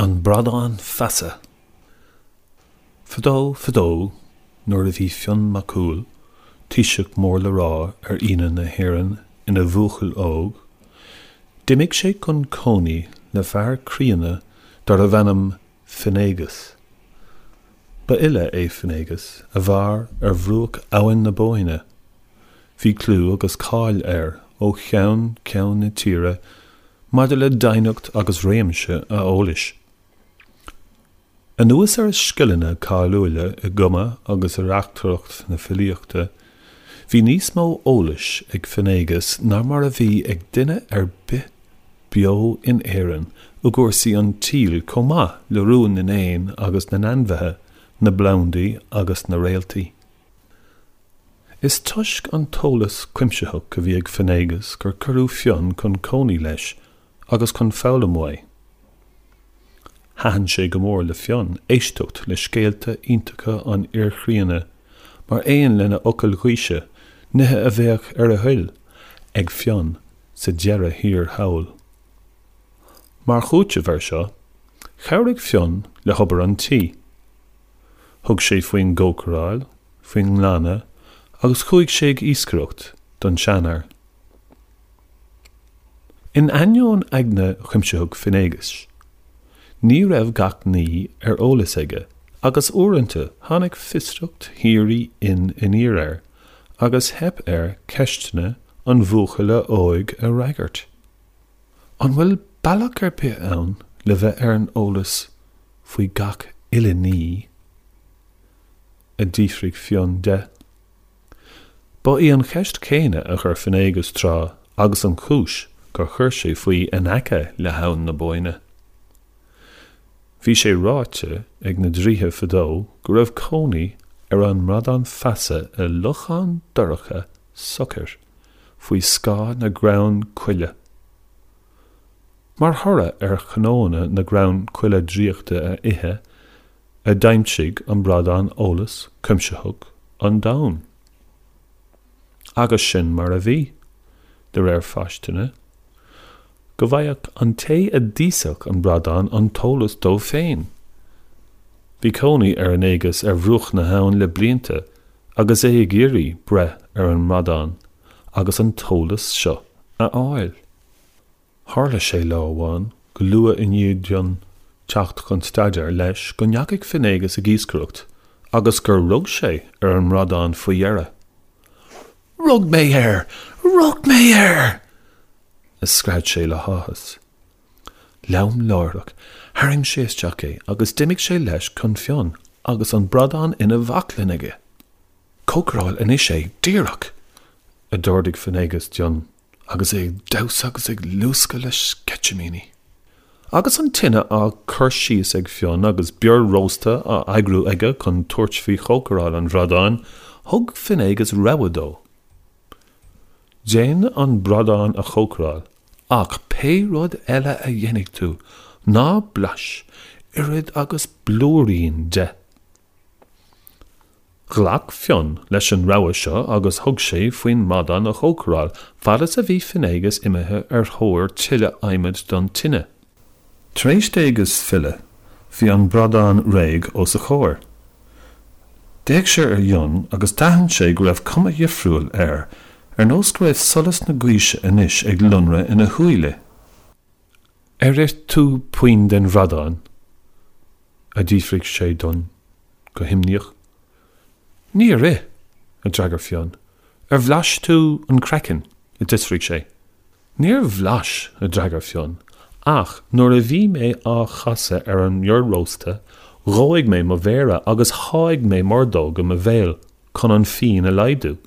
An Bradán Feasa. Fadó, fadó, nuair a bhí Fionn Mac Cumhaill, taoiseach mór le rá ar Fhianna na hÉireann ina bhuachaill óg, d'imigh sé chun cónaí le fear críonna darbh ainm Finnéagas. Ba fhile é Finnéagas a mhair ar bhruach Abhainn na Bóinne. Bhí clú agus cáil air ó cheann ceann na tíre maidir le doimhneacht agus réimse a eolais. Anuas ar a scileanna cáiliúla i gcumadh agus i reachtaireacht na filíochta, bhí níos mó eolais ag Finnéagas ná mar a bhí ag duine ar bith beo in Éirinn i gcúrsaí an tsaoil chomh maith le rúin na n-éan agus na n-ainmhithe, na bplandaí agus na réaltaí. Is toisc an t-eolas cuimsitheach a bhí ag Finnéagas gur cuireadh Fionn chun cónaí leis agus chun foghlaim uaidh. Thaitin sé go mór le Fionn éisteacht le scéalta iontacha an fhir chríonna mar aon lena fhocail ghaoise, nithe a bheadh ar a thoil ag Fionn sa deireadh thiar thall. Mar chúiteamh air seo, chabhraigh Fionn le hobair an tí. Thug sé faoin gcócaráil, faoin nglanadh agus chuaigh sé ag iascaireacht don seanfhear. In ainneoin aigne chuimsitheach Finnéagais, ní raibh gach ní ar eolas aige agus uaireanta tháinig fiosracht shíoraí Fhinn aniar air agus theip air ceisteanna an bhuachalla óig a fhreagairt. An bhfuil bealach ar bith ann le bheith ar an eolas faoi gach uile ní? a d'fhiafraigh Fionn de. Ba í an cheist chéanna a chuir Finnéagas tráth agus an chúis gur chuir sé faoi in aice le hAbhainn na Bóinne. Bhí sé ráite ag na draoithe fadó go raibh cónaí ar an mbradán feasa i lochán dorcha socair faoi scáth na gcrann coille. Mar thoradh ar chnónna na gcrann coille draíochta a ithe, a d'aimsigh an bradán eolas cuimsitheach an domhain. Agus sin mar a bhí, de réir faistine, go bhfaigheadh an té a d'íosfadh an bradán an t-eolas dó féin. Bhí cónaí ar Fhinnéagas ar bhruach na habhann le blianta agus é ag iarraidh breith ar an mbradán agus an t-eolas seo a fháil. Tharla sé lá amháin, go luath i ndiaidh d'Fhionn teacht chun staidéir leis, go ndeachaigh Finnéagas ag iascaireacht agus gur rug sé ar an mbradán faoi dheireadh. Rug mé air! Rug mé air! a scread sé le háthas. Lom láithreach, tharraing sé isteach é agus d'imigh sé leis chun Fionn agus an bradán ina bhaclainn aige. Cócaráil anois é, díreach! a d'ordaigh Finnéagas d'Fhionn agus é ag damhsa agus ag luascadh le sceitimíní. Agus an tine á cur síos ag Fionn agus bior rósta á eagrú aige chun tabhairt faoi chócaráil an bhradáin, thug Finnéagas rogha dó. Déan an bradán a chócaráil, ach pé rud eile a dhéanfaidh tú, ná blais oiread agus blúirín de. Ghlac Fionn leis an rogha seo agus thug sé faoin mbradán a chócaráil fad is a bhí Finnéagas imithe ar thóir tuilleadh adhmaid don tine. Tar éis d'Éagas filleadh, bhí an bradán réidh os a chomhair. D'fhéach sé ar Fhionn agus d'aithin sé go raibh cuma dhifriúil air, ar nós go raibh solas na gaoise anois ag lonradh ina shúile. Ar ith tú puinn den bhradán? a d'fhiafraigh sé d'Fhionn go himníoch. Níor ith, a d'fhreagair Fionn. Ar bhlais tú an craiceann? a d'fhiosraigh sé. Níor bhlais, a d'fhreagair Fionn, ach nuair a bhí mé á chasadh ar an mbior rósta, dhóigh mé mo mhéara agus sháigh mé m'ordóg i mo bhéal chun an phian a laghdú.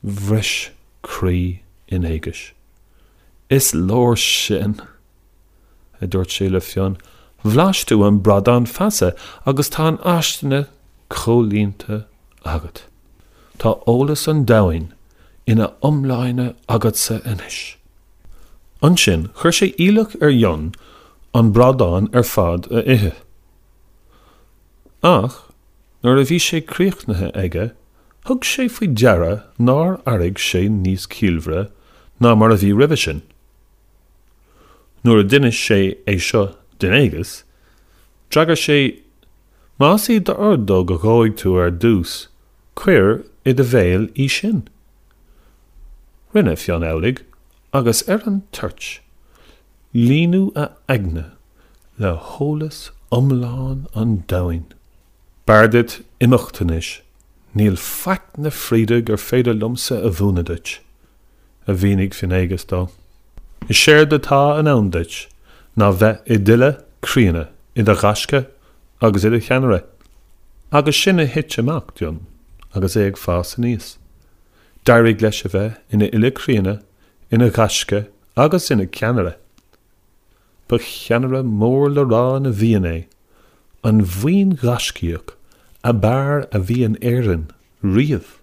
Bhris croí Fhinnéagais. Is leor sin! a dúirt sé le Fionn. Bhlais tú an bradán feasa agus tá an fhaistine comhlíonta agat. Tá eolas an domhain ina iomláine agatsa anois. Ansin chuir sé iallach ar Fhionn an bradán ar fad a ithe. Ach nuair a bhí sé críochnaithe aige, thug sé faoi deara nár airigh sé níos ciallmhaire ná mar a bhí roimhe sin. Nuair a d'inis sé é seo d'Fhinnéagas, D'fhreagair sé, Más í d'ordóg a dhóigh tú ar dtús, cuir i do bhéal í sin. Rinne Fionn amhlaidh, agus ar an toirt, líonadh a aigne le heolas iomlán an domhain. B'fhearr duit imeacht anois, níl faic na fríde gur féidir liomsa a mhúineadh duit, a mhínigh Finnéagas dó. Is éard atá in ann duit ná bheith i d'fhile críonna, i do ghaisce agus i do cheannaire. Agus sin a thit amach d'Fhionn agus é ag fás aníos. D'éirigh leis a bheith ina fhile críonna, ina ghaisce agus ina cheannaire. Ba cheannaire mór le rá na bhFiann é, an bhuíon ghaiscíoch ab fhearr a bhí in Éirinn riamh.